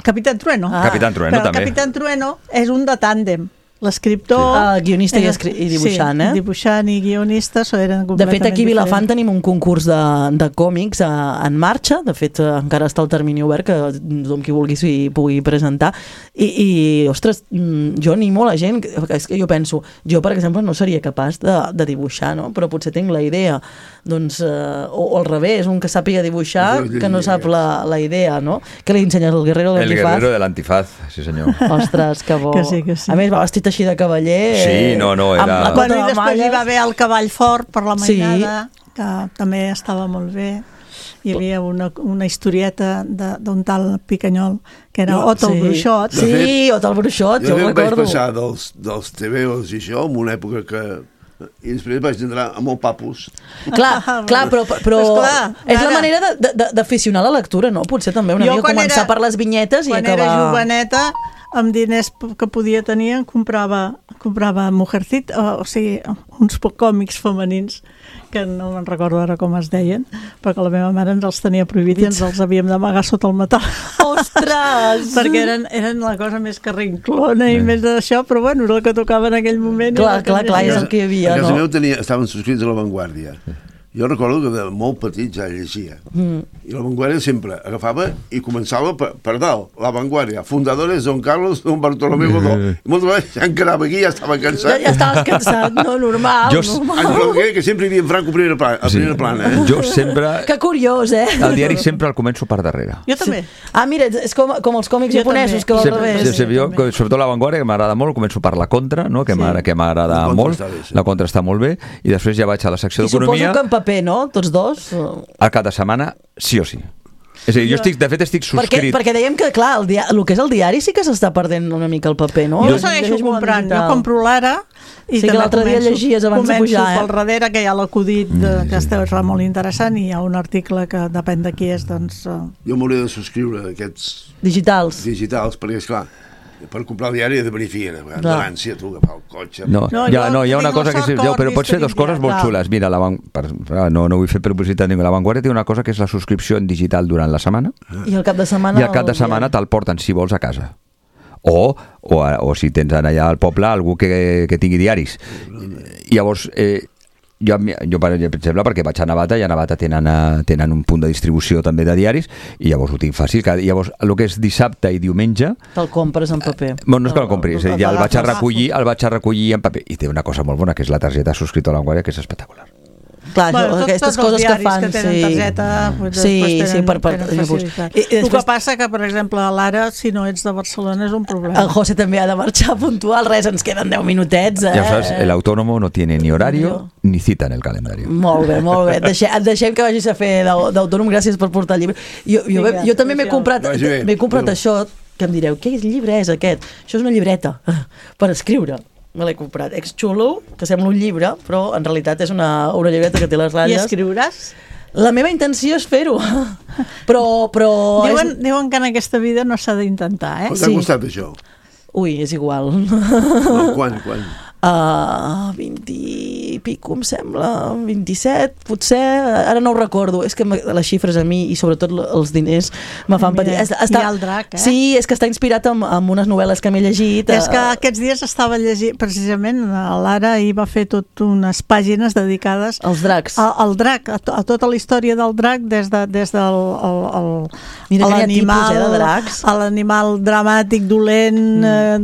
Capitán Trueno. Capitán Trueno, també. El Capitán Trueno és un de tàndem. L'escriptor... Guionista i dibuixant, Sí, dibuixant i guionista eren completament De fet, aquí a Vilafant diferents. tenim un concurs de còmics en marxa. De fet, encara està el termini obert, que tothom qui vulgui s'hi pugui presentar. I ostres, jo animo la gent... És que jo penso, jo, per exemple, no seria capaç de dibuixar, no? Però potser tinc la idea. Doncs, o al revés, un que sàpiga dibuixar, que no sap la idea, no? Que li ensenyes el Guerrero de l'Antifaz. El Guerrero de l'Antifaz, sí senyor. Ostres, que bo. Que sí. A més, va vestit així de cavaller. Sí, no, era... Bueno, i després hi va haver el Cavall Fort per la mainada, que també estava molt bé. Hi havia una historieta d'un tal Picanyol, que era Otto el Bruixot. Sí, Otto el Bruixot, jo ho recordo. Vaig passar dels TVOs i això, en una època que... I després vaig entrar amb el Papus. Clar, però és la manera d'aficionar la lectura, no? Potser també una mica començar per les vinyetes i acabar... Quan era joveneta, amb diners que podia tenir, em comprava Mujercita, o sigui, uns còmics femenins, que no me'n recordo ara com es deien, perquè la meva mare ens els tenia prohibits i ens els havíem d'amagar sota el metal. Ostres! Perquè eren la cosa més carrinclona i més d'això, però bueno, era el que tocava en aquell moment. Clar, és el que hi havia, no? A casa meu estaven subscrits a La Vanguardia. Jo recordo que de molt petit ja llegia. I La Vanguardia sempre agafava i començava per dalt. La Vanguardia, fundadores Don Carlos, Don Bartolomé Godó. I moltes vegades ja encarava aquí, ja estava cansat. Ja estaves cansat, no? Normal. Que sempre hi havia en Franco a primera plana. Jo sempre... Que curiós, El diari sempre el començo per darrere. Jo també. Mira, és com els còmics japonesos, que va al revés. Jo, sobretot La Vanguardia, que m'agrada molt, començo per La Contra, que m'agrada molt. La Contra està molt bé. I després ja vaig a la secció d'Economia. I suposo que en paper, no? Tots dos? A cada setmana, sí o sí. És a dir, jo de fet estic subscrit. Perquè dèiem que, clar, el que és el diari sí que s'està perdent una mica el paper, no? Jo segueixo comprant, jo compro l'Ara i sí que l'altre dia llegies abans de pujar. Començo pel darrere, que hi ha l'acudit que està molt interessant, i hi ha un article que depèn de qui és, doncs... Jo m'hauré de subscriure aquests... Digitals, perquè, esclar, per comprar el diari he de verificar, de l'ànsia, tu, agafar el cotxe... No, hi ha una cosa que... Però pots fer dues coses molt xules. Mira, no vull fer publicitat ningú. La Vanguardia té una cosa que és la subscripció en digital durant la setmana. I al cap de setmana... I al cap de setmana te'l porten, si vols, a casa. O si tens allà al poble algú que tingui diaris. Llavors... Jo, per exemple, perquè vaig a Navata, i a Navata tenen un punt de distribució també de diaris, i llavors ho tinc fàcil. Llavors, el que és dissabte i diumenge... Te'l compres en paper. No és que el compris, ja el vaig a recollir en paper. I té una cosa molt bona, que és la targeta subscrita a la Vanguardia, que és espectacular. Clar, aquestes coses que fan... Que tenen targeta, tenen facilitat. El que passa que, per exemple, a l'Ara, si no ets de Barcelona, és un problema. El José també ha de marxar puntual, ens queden 10 minutets. Ja saps, el autónomo no tiene ni horario ni cita en el calendario. Molt bé, molt bé. Deixem que vagis a fer d'autònom, gràcies per portar el llibre. Jo també m'he comprat això, que em direu, què llibre és aquest? Això és una llibreta per escriure. Me l'he comprat. És xulo, que sembla un llibre, però en realitat és una llibreta que té les ratlles. I escriuràs? La meva intenció és fer-ho. Però... Diuen que en aquesta vida no s'ha d'intentar, eh? T'ha costat això? Ui, és igual. Quan? 20 i pico, em sembla, 27, potser, ara no ho recordo, és que les xifres a mi, i sobretot els diners, me fan patir. Hi ha el drac, eh? Sí, és que està inspirat en unes novel·les que m'he llegit. És que aquests dies estava llegint, precisament, l'Ara ahir va fer tot unes pàgines dedicades als dracs. Al drac, a tota la història del drac, des de l'animal dramàtic, dolent,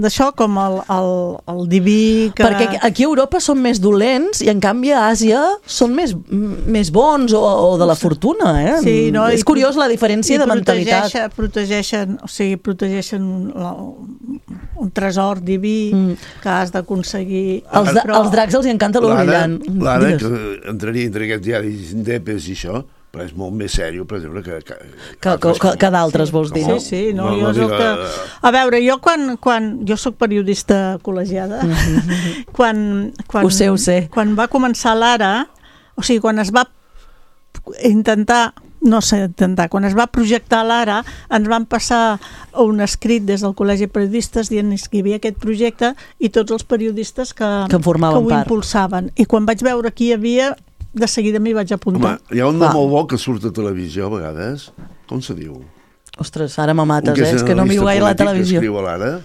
d'això, com el diví... Perquè aquí a Europa són més dolents i en canvi a Àsia són més bons o de la fortuna, eh? Sí, no? És curiós la diferència de mentalitat. Protegeixen un tresor diví que has d'aconseguir. Els dracs els encanta lo brillant. L'ara, que entraria entre aquests diaris indepes i això, però és molt més sèrio, per exemple, que d'altres, vols dir, no? Sí, no, jo és el que... A veure, jo quan jo soc periodista col·legiada, quan ho sé. Quan va començar l'Ara, o sigui, quan es va intentar, quan es va projectar l'Ara, ens van passar un escrit des del Col·legi de Periodistes dient que hi havia aquest projecte i tots els periodistes que ho impulsaven. I quan vaig veure qui hi havia, de seguida m'hi vaig apuntar. Home, hi ha un nom molt bo que surt a televisió a vegades. Com se diu? Ostres, ara me mates, és que no miro gaire la televisió. Que escriu a l'Ara.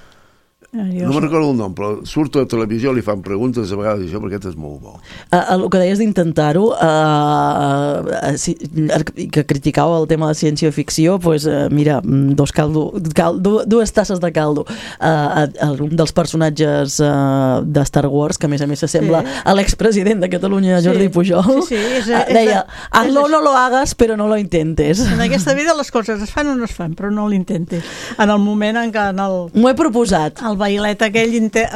No me'n recordo el nom, però surt a la televisió, li fan preguntes a vegades, això, perquè aquest és molt bo. El que deies d'intentar-ho, que criticava el tema de ciència-ficció, doncs mira, dues tasses de caldo. Un dels personatges de Star Wars, que a més s'assembla a l'expresident de Catalunya, Jordi Pujol, deia, hazlo, no lo hagas, però no lo intentes. En aquesta vida les coses es fan o no es fan, però no l'intentes. En el moment en què m'ho he proposat. El vailet aquell intenta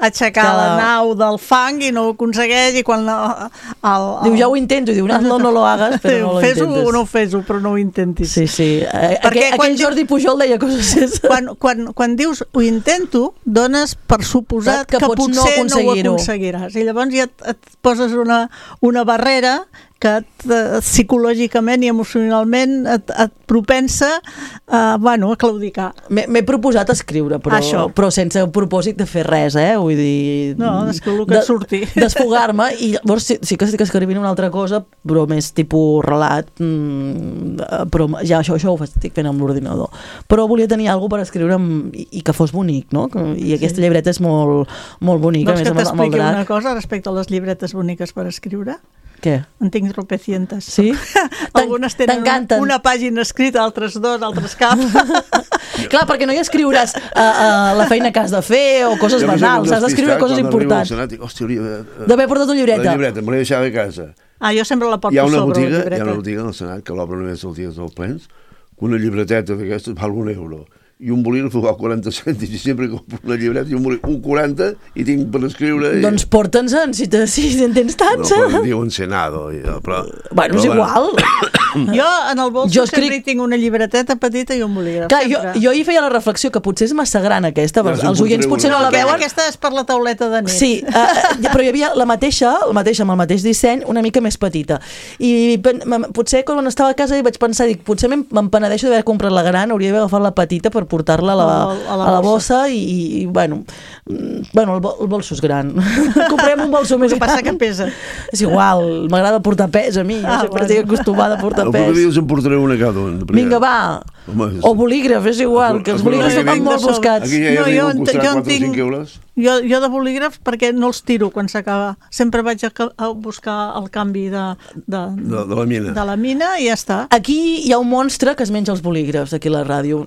aixecar la nau del fang i no ho aconsegueix, i quan diu, ja ho intento, i diu, no lo hagas, però no lo intentes. Fes-ho o no fes-ho, però no ho intentis. Sí. Aquell Jordi Pujol deia coses. Quan dius ho intento, dones per suposat que potser no ho aconseguiràs. I llavors ja et poses una barrera que psicològicament i emocionalment et propensa a claudicar. M'he proposat escriure, però sense el propòsit de fer res, vull dir... No, és que el que surti. Desfogar-me, i llavors sí que estic escrivint una altra cosa, però més tipus relat, però ja això ho estic fent amb l'ordinador. Però volia tenir alguna per escriure i que fos bonic, no? I aquesta llibreta és molt bonica. Vols que t'expliqui una cosa respecte a les llibretes boniques per escriure? Què? En tinc tropecientes. Sí? Algunes tenen una pàgina escrita, altres dos, altres cap. Clar, perquè no hi escriuràs la feina que has de fer o coses banals, has d'escriure coses importants. D'haver portat una llibreta. La llibreta, me l'he deixat a casa. Jo sempre la porto sobre la llibreta. Hi ha una botiga al Senat que l'obre només els dies dels plens, que una llibreteta d'aquestes val €1. i un bolígraf val 40 cèntims i sempre compro una llibreta i un bolígraf 1,40 i tinc per escriure doncs porta'ns-en si en tens tants no, diuen Senado però bueno, és igual jo en el bolso sempre tinc una llibreteta petita i un bolígraf. Clar, jo hi feia la reflexió que potser és massa gran aquesta, els oients potser no la veuen. Aquesta és per la tauleta de nit. Sí, però hi havia la mateixa amb el mateix disseny, una mica més petita. I potser quan estava a casa vaig pensar, potser me'n penedeixo d'haver comprat la gran, hauria d'haver agafat la petita per portar-la a la bossa i bueno, el bolso és gran. Comprem un bolso més gran. Passa que pesa. És igual, m'agrada portar pes a mi, sempre estic acostumada a portar pes. El proper dia us en portaré una cada un. Vinga, va. O bolígraf, és igual, que els bolígrafs van molt buscats. Aquí ja arriba a costar 4 o 5 euros. Jo de bolígrafs perquè no els tiro quan s'acaba. Sempre vaig a buscar el canvi de la mina. De la mina i ja està. Aquí hi ha un monstre que es menja els bolígrafs, aquí a la ràdio.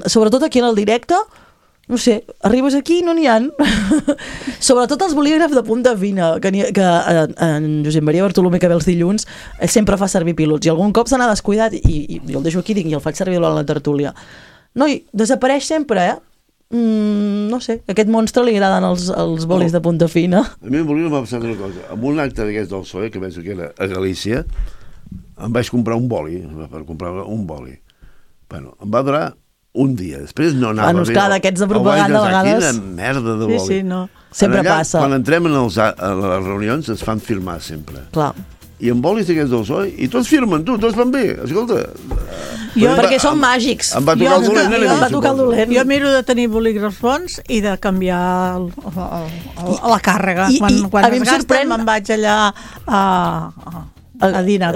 Sobretot aquí en el directe, no sé, arribes aquí i no n'hi ha. Sobretot els bolígrafs de punta fina, que en Josep Maria Bartolomé, que ve els dilluns, sempre fa servir pilots, i algun cop se n'ha descuidat, i jo el deixo aquí i el faig servir durant la tertúlia. Noi, desapareix sempre, no sé, a aquest monstre li agraden els bolis de punta fina. A mi el bolígraf m'ha passat una cosa. En un acte d'aquest del PSOE, que penso que era a Galícia, em vaig comprar un boli, Bueno, em va durar un dia, després no anava bé. Clar, d'aquests de propaganda a vegades... Quina merda de boli. Sí, no. Sempre passa. Quan entrem a les reunions es fan firmar sempre. Clar. I amb bolis d'aquests del PSOE, i tots firmen, tots van bé, escolta. Perquè són màgics. Em va tocar el dolent. Jo miro de tenir bolígrafs bons i de canviar la càrrega. Quan es gasten me'n vaig allà a Dina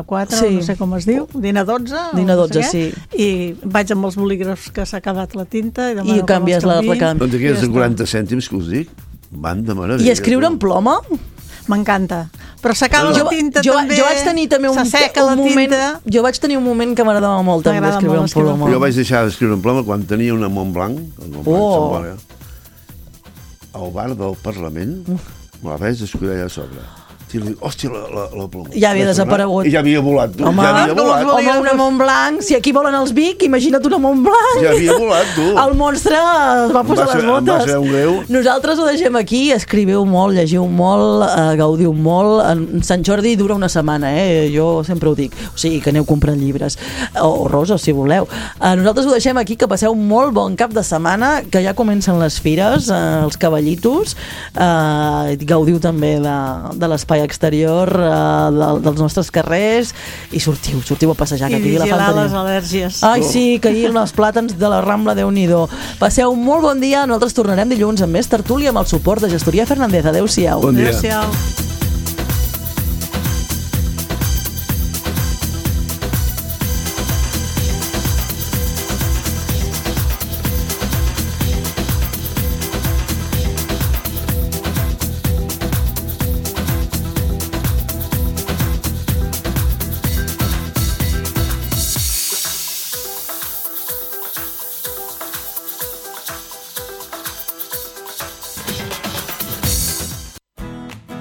4, sí. No sé com es diu, Dina 12, Dina 12, sí. I vaig amb els bolígrafs que s'ha acabat la tinta i canvies la recant. Doncs aquests de 40 cèntims que us dic van de meravella. I escriure en ploma? M'encanta. Però s'acaba la tinta també, jo vaig tenir també s'asseca la tinta. Jo vaig tenir un moment que m'agradava molt també escriure en ploma. Jo vaig deixar d'escriure en ploma quan tenia una Montblanc, al bar del Parlament, me la vaig descuidar allà a sobre. Hòstia, la ploma. Ja havia desaparegut. I ja havia volat, tu. Home, una Montblanc. Si aquí volen els Vic, imagina't una Montblanc. Ja havia volat, tu. El monstre es va posar les botes. Va ser un greu. Nosaltres ho deixem aquí. Escriviu molt, llegiu molt, gaudiu molt. Sant Jordi dura una setmana, jo sempre ho dic. O sigui, que aneu comprant llibres. O roses, si voleu. Nosaltres ho deixem aquí, que passeu un molt bon cap de setmana, que ja comencen les fires, els cavallitos. Gaudiu també de l'espai exterior dels nostres carrers i sortiu a passejar, que aquí i vigilar les al·lèrgies. Ai, sí, que ahir els plàtans de la Rambla, Déu-n'hi-do. Passeu un molt bon dia, nosaltres tornarem dilluns amb més tertúlia amb el suport de Gestoria Fernández. Adéu-siau. Bon dia. Adéu-siau.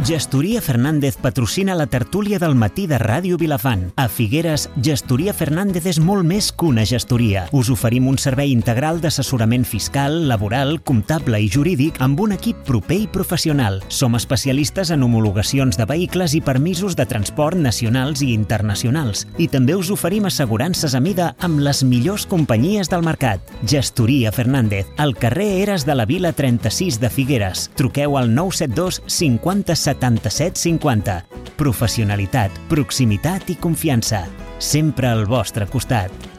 Gestoria Fernández patrocina la tertúlia del matí de Ràdio Vilafant. A Figueres, Gestoria Fernández és molt més que una gestoria. Us oferim un servei integral d'assessorament fiscal, laboral, comptable i jurídic amb un equip proper i professional. Som especialistes en homologacions de vehicles i permisos de transport nacionals i internacionals. I també us oferim assegurances a mida amb les millors companyies del mercat. Gestoria Fernández, al carrer Eres de la Vila 36 de Figueres. Truqueu al 972 50 77 50. Professionalitat, proximitat i confiança. Sempre al vostre costat.